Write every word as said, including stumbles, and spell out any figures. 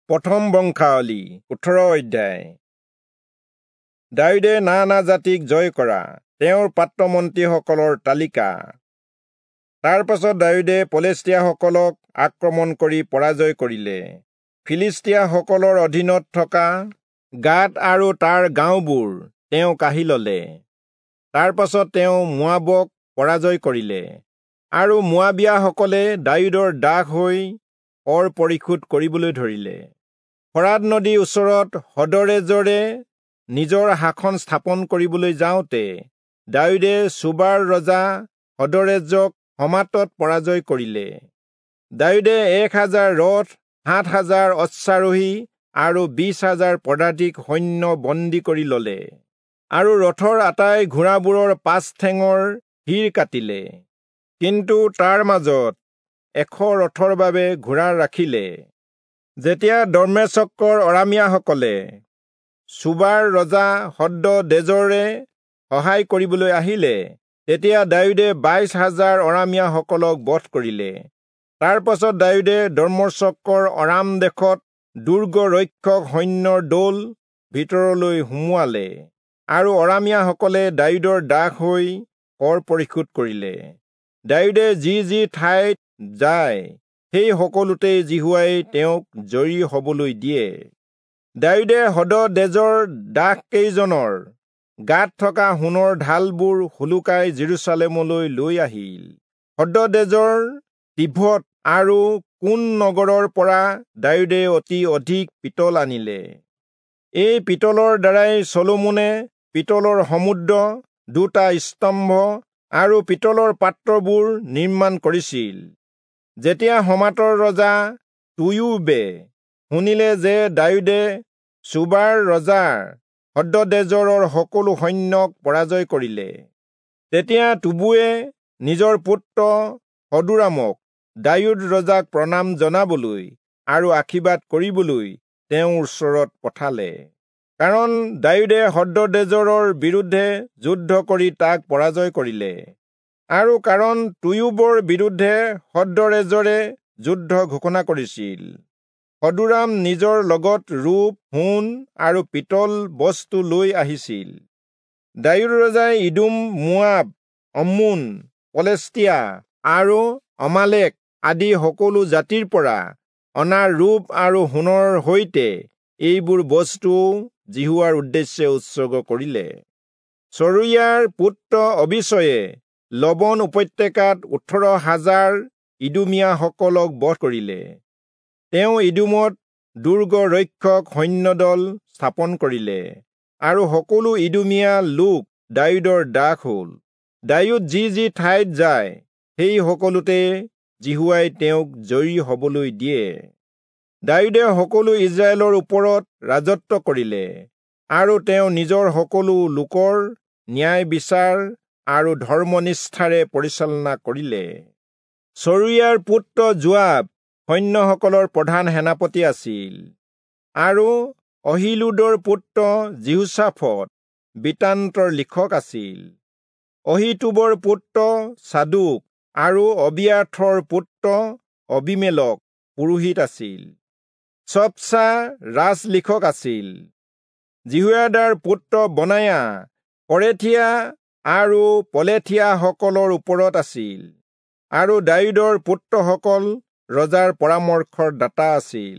প্ৰথম বংশাৱলী ওঠৰ অধ্যায়। দায়ূদে নানা জাতিক জয় কৰা তেওঁৰ পাত্ৰমন্ত্ৰীসকলৰ তালিকা। তাৰ পাছত দায়ূদে পলেষ্টীয়াসকলক আক্ৰমণ কৰি পৰাজয় কৰিলে। ফিলিষ্টীয়াসকলৰ অধীনত থকা গাত আৰু তাৰ গাঁওবোৰ তেওঁ কাঢ়ি ললে। তাৰ পাছত তেওঁ মোৱাবক পৰাজয় কৰিলে আৰু মোৱাবীয়াসকলে দায়ূদৰ দাস হৈ কৰ পৰিশোধ কৰিবলৈ ধৰিলে। ফৰাত নদীৰ ওচৰত হদৰেজৰে নিজৰ শাসন স্থাপন কৰিবলৈ যাওঁতে দায়ূদে চোবাৰ ৰজা হদৰেজক হমাতত পৰাজয় কৰিলে। দায়ূদে এক হাজাৰ ৰথ, সাত হাজাৰ অশ্বাৰোহী আৰু বিশ হাজাৰ পদাতিক সৈন্য বন্দী কৰি ললে আৰু ৰথৰ আটাই ঘোঁৰাবোৰৰ পাঁচ ঠেঙৰ শিৰ কাটিলে। কিন্তু তাৰ মাজত এশ ৰথৰ বাবে ঘোঁৰা ৰাখিলে। যেতিয়া দম্মেচকৰ অৰামীয়াসকলে চোবাৰ ৰজা হদদেজৰে সহায় কৰিবলৈ আহিলে, তেতিয়া দায়ূদে বাইশ হাজাৰ অৰামীয়াসকলক বধ কৰিলে। তাৰ পাছত দায়ূদে দম্মেচকৰ অৰাম দেশত দুৰ্গ ৰক্ষক সৈন্যৰ দল ভিতৰলৈ সুমুৱালে আৰু অৰামীয়াসকলে দায়ূদৰ দাস হৈ কৰ পৰিশোধ কৰিলে। দায়ূদে যি যি ঠাইত যায় সেই সকলোতেই যিহোৱাই তেওঁক জয়ী হবলৈ দিয়ে। দায়ূদে হদদেজৰ দাসকেইজনৰ গাত থকা সোণৰ ঢালবোৰ সোলোকাই যিৰূচালেমলৈ লৈ আহিল। হদদেজৰ তিভত আৰু কোন নগৰৰ পৰা দায়ূদে অতি অধিক পিতল আনিলে। এই পিতলৰ দ্বাৰাই চলোমনে পিতলৰ সমুদ্ৰ, দুটা স্তম্ভ আৰু পিতলৰ পাত্ৰবোৰ নিৰ্মাণ কৰিছিল। যেতিয়া হমাতৰ ৰজা তোয়ূবে শুনিলে যে দায়ূদে চোবাৰ ৰজা হদদেজৰৰ সকলো সৈন্যক পৰাজয় কৰিলে, তেতিয়া তোবুৱে নিজৰ পুত্ৰ হদোৰামক দায়ূদ ৰজাক প্ৰণাম জনাবলৈ আৰু আশীৰ্বাদ কৰিবলৈ তেওঁৰ ওচৰত পঠালে, কাৰণ দায়ূদে হদদেজৰৰ বিৰুদ্ধে যুদ্ধ কৰি তাক পৰাজয় কৰিলে আৰু কাৰণ তোয়ূবৰ বিৰুদ্ধে হদৰেজৰে যুদ্ধ ঘোষণা কৰিছিল। হদোৰাম নিজৰ লগত ৰূপ, সোণ আৰু পিতল বস্তু লৈ আহিছিল। দায়ূদ ৰজাই ইদোম, মোৱাব, অম্মোন, পলেষ্টীয়া আৰু অমালেক আদি সকলো জাতিৰ পৰা অনা ৰূপ আৰু সোণৰ সৈতে এইবোৰ বস্তুও যিহোৱাৰ উদ্দেশ্যে উৎসৰ্গ কৰিলে। চৰুয়াৰ পুত্ৰ অবিচয়ে লবণ উপত্যকাত ওঠৰ হাজাৰ ইদোমীয়াসকলক বধ কৰিলে। তেওঁ ইদোমত দুৰ্গ ৰক্ষক সৈন্যদল স্থাপন কৰিলে আৰু সকলো ইদোমীয়া লোক দায়ূদৰ দাস হল। দায়ূদ যি যি ঠাইত যায় সেই সকলোতে যিহোৱাই তেওঁক জয়ী হবলৈ দিয়ে। দায়ূদে সকলো ইস্ৰায়েলৰ ওপৰত ৰাজত্ব কৰিলে আৰু তেওঁ নিজৰ সকলো লোকৰ ন্যায় বিচাৰ আৰু ধৰ্মনিষ্ঠাৰে পৰিচালনা কৰিলে। চৰুয়াৰ পুত্ৰ যোৱাব সৈন্যসকলৰ প্ৰধান সেনাপতি আছিল আৰু অহীলূদৰ পুত্ৰ যিহোচাফট বৃত্তান্তৰ লিখক আছিল। অহীটূবৰ পুত্ৰ চাদোক আৰু অবিয়াথৰ পুত্ৰ অবীমেলক পুৰোহিত আছিল। চব্চা ৰাজলিখক আছিল। যিহোয়াদাৰ পুত্ৰ বনায়া কৰেথীয়া আৰু পলেথীয়াসকলৰ ওপৰত আছিল আৰু দায়ূদৰ পুত্ৰসকল ৰজাৰ পৰামৰ্শৰ দাতা আছিল।